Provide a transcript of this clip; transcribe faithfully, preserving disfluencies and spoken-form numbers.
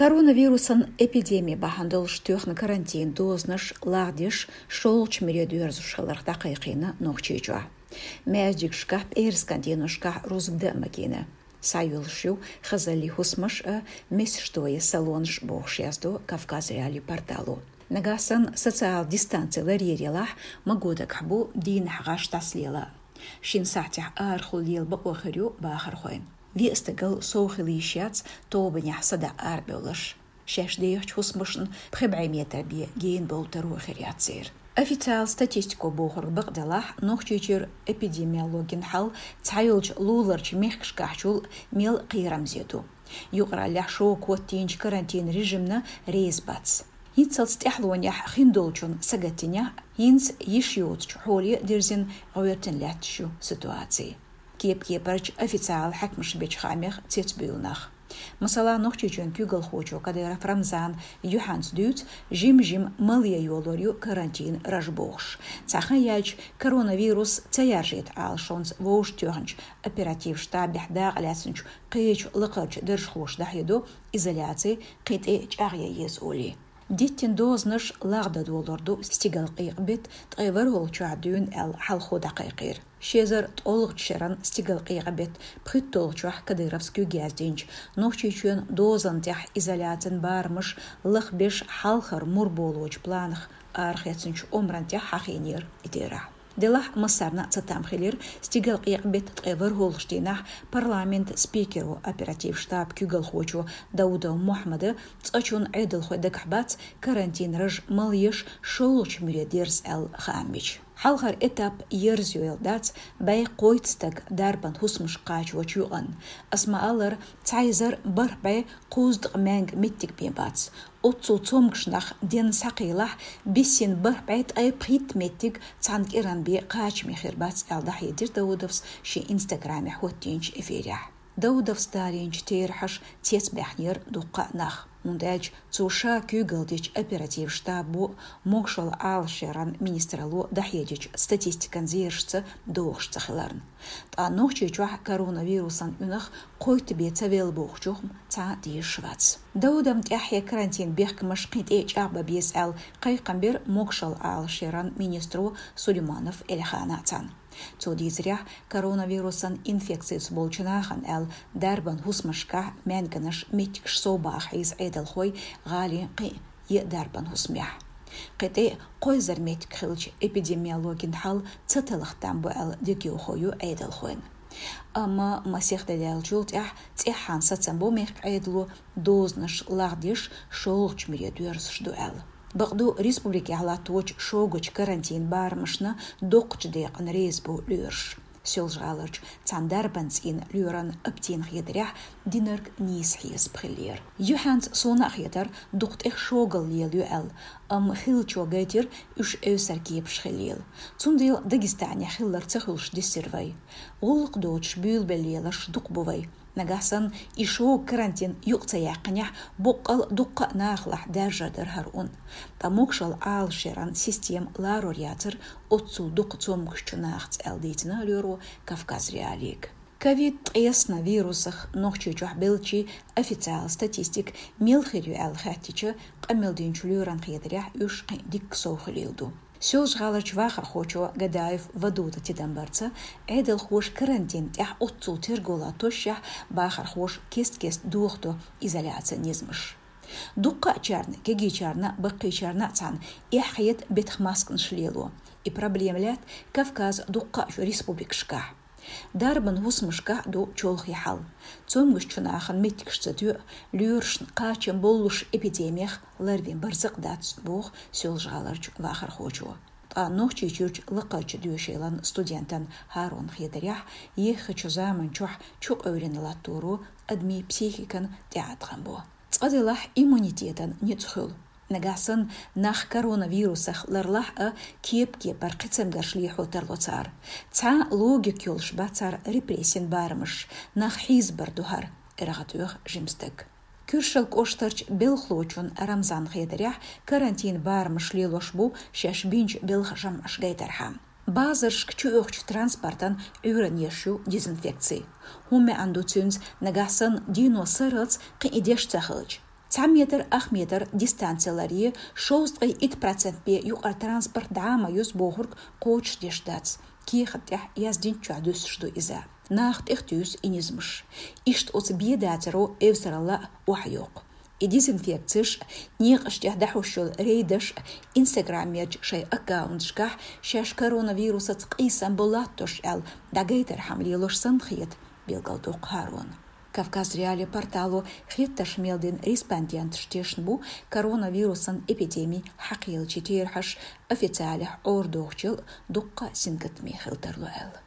Коронавирусан эпидеми бахьан долуш тоьхна карантин дозанаш лагӀдеш, шолгӀачу муьре доьрзуш хиларх дӀакхайкхийна Нохчийчохь. Маьждигашкахь, пӀераскан деношкахь рузба дан а магийна. Схьайоьллуш ю хазаллин хӀусамаш а, месаш тоян салонаш а, бохуш яздо Кавказ.Реалии портало. Нагахь санна социал дистанци ларъяр елахь, маго дагахь бу дийнахь гӀаш дӀасалела. Шина сахьтехь арахула лела бакъо хир ю бахархойн. Виъ стагал сов хила йиш яц тобанехь садаӀа арабевлларш. Шаьш дехачу хӀусамашна пхи бӀе метр бен гена бовла таро хир яц церан. Официал статистико бохург бакъ делахь, Нохчийчуьра эпидемиологин хьал цхьайолчу луларчу мехкашкахьчул мел кхерамзе ду. Юкъараллехь шога хӀоттийначу карантин режимна реза бац. ХӀинццалц тӀаьхьалонехь хиндолчун сагатдинехь, хӀинца йиш йоцучу хьоле дирзина гӀоьртина лаьтташ ю ситуаци. Кеп-кепарчу официал хьаькамаша бечу хаамех цецбуьйлу нах. Масала, Нохчийчоьнан куьйгалхочо Кадыров Рамзана юьхьанца дуьйцу, жим-жима малъян йолор ю карантин раж бохуш. Цхьа хан яьлча, коронавирус ца яржийта Ӏалашонца вовшахтоьхначу оператив штабехь дакъалаьцначу кхечу лакхарчу даржхоша дӀахьедо изоляци кхин тӀе чӀагӀъян еза олий. Диттина дозанаш лагӀдан долор ду стигалкъекъа-беттан ткъе ворхӀалгӀачохь дуьйна аьлла хьалхо дӀакхайкхийра. Ши эзар ткъолгӀачу шеран стигалкъекъа-беттан пхийтталгӀачохь Кадыровс куьйга яздинчу Нохчийчоьнан дозанна тӀехь изоляцин барамаш лахбеш хьалхара мур болочу планах арахецначу омрана тӀехь хьахийнера и терахь. Делахь массарна а цатам хилира стигалкъекъа-беттан ткъе ворхӀалгӀачу дийнахь парламентан спикеро, оператив штабан куьйгалхочо Даудов Мухьаммада цкъачунна Ӏедалхой дагахь бац карантин раж малъеш шолгӀачу муьре дерза аьлла хаам бича. Хьалхара этап ерзайойла дац бӀе кхойтта стаг дарбан хӀусамашка кхачочу юкъанна. Ас ма-аллара, цхьа эзар бархӀ бӀе кхузткъа маьнга меттиг бен бац. Оццул цомгуш нах денна схьакхийлахь, биссина бархӀ бӀе ткъе пхийтта меттиг цхьана кӀиран бен кхачаме хир бац аьлла дӀахьедира Даудовс шен Инстаграмехь хӀоттийначу эфирехь. Даудовс далийначу терахьаша цецбаьхнера дуккха а нах, хӀунда аьлча цо ша куьйгалла дечу оператив штабо, могушалла Ӏалашъяран министралло дӀахьедечу статистикан зерашца догӀуш ца хиларна. Ткъа Нохчийчохь коронавирусан уьнах кхойтта бен ца велла бохучух цхьа а тешаш вац. Даудовна тӀаьххье карантин бехкамаш кхин тӀе чӀагӀбан беза аьлла кхайкхам бира могушалла Ӏалашъяран министро Сулейманов Эльхана цхьаьна. Цо дийцарехь, коронавирусан инфекцица болчу нахана аьлла дарбан хӀусамашкахь маьнганаш, меттигаш совбаха хьийза Ӏедалхой гӀалин кхин а дарбан хӀусамехь. Кхин тӀе кхо эзар меттиг хилча, эпидемиологин хьал ца талха там бу аьлла дегайовхо ю Ӏедалхойн. Амма масех де даьллачул тӀаьхьа цӀеххьана сацам бо мехкан Ӏедало дозанаш лагӀдеш шолгӀачу муьре доьрзуш ду аьлла. Бакъду, республикехь латточу шогачу карантин барамашна доккхачу декъана реза бу лоьраш. Соьлжа-ГӀаларчу цхьана дарбан цӀийнан лоьран Аптина хетарехь, динарг нийса хьесап хиллера. Юьхьанца суна а хетара, дукха тӀех шогал лелайо аьлла, амма хиллачо гайтира уьш эвсара кепаш хиллийла. Цундела Дагестанехь хилларг ца хуьлуш дисира вай. ГӀуллакх доцуш буьйлабелла леларш дукха бу вай. Нагахь санна и шога карантин юкъа ца яьккхинехь, боккъал дуккха а нахалахь даьржар дара хӀара ун. Ткъа могушалла Ӏалашъяран система ларор яцара оццул дукха цомгушчу нахаца аьлла дийцина лоьро Кавказ.Реалиига. Ковид ткъесна вирусах Нохчийчохь беллачийн официал статистика мел хир ю аьлла хаьттича, къамел динчу лоьран хетарехь, уьш кхин а дикка сов хилийла ду. Соьлжа-ГӀаларчу вахархочо Гадаев Вадуда тидам барца, Ӏедалхоша карантин тӀехь оццул терго латтошшехь, бахархоша кест-кеста дохадо изоляцин низамаш. Дуккхачарна, кегийчарна, баккхийчарна а цхьаьна, эхь хета бетах масканаш лело. И проблема лаьтта Кавказан дуккхачу республикашкахь. Дарбан хӀусамашкахь а ду чолхе хьал. Цомгушчу нахана меттигаш ца тоьа, лоьрашна кхачам боллуш эпидемих ларвен барзакъ дац, боху Соьлжа-ГӀаларчу вахархочо. Ткъа Нохчийчуьрчу лакхарчу доьшийлан студентан ХӀарунан хетарехь, еххачу заманчохь чукъевлина латторо адамийн психикан тӀеӀаткъам бо. Цкъа делахь, иммунитетан ницкъ хуьлу. Нагахь санна нах коронавирусах ларлахь а, кеп-кепара кхин цамгарш лехьо тарло цара. Цхьа а логика йолуш бац цара репрессин барамаш, нах хьийзабар ду хӀара, эргӀа тоьху жима стаг. Куьршал кӀоштарчу белхалочун Рамзанан хетарехь, карантин барамаш лелош бу шаьш бинчу белхан жамӀаш гайтархьама. Базаршка чуоьхучу транспортан Ӏуьйранна еш ю дезинфекци. ХӀун маьӀна ду цуьнца, нагахь санна дино сарралц кхин и деш ца хилча? Цхьа метр, ах метр дистанци ларъе, шовзткъе итт процент бе юкъара транспорт дӀа а ма юза бохург кхочушдеш дац. Кехат тӀехь яздинчохь дуьсуш ду иза. Нах тӀехтуьйсу и низамаш. Иштта оцу бе дацаро эвсаралла а охьайоккху. И дезинфекцеш а, некъаш тӀехь дӀахьуш йолу рейдаш а Instagram-ерчу шайн аккаунташкахь шаьш коронавирусаца къийсам бу латтош аьлла дӀагайтархьама лелош санна хета, билгалдоккху ХӀарона. Кавказ.Реалии портало хеттарш мел дина респонденташ тешна бу коронавирусан эпидеми хьакхийллачийн терахьаш официалехь Ӏорадохучул дуккха а сингаттаме хила тарло аьлла.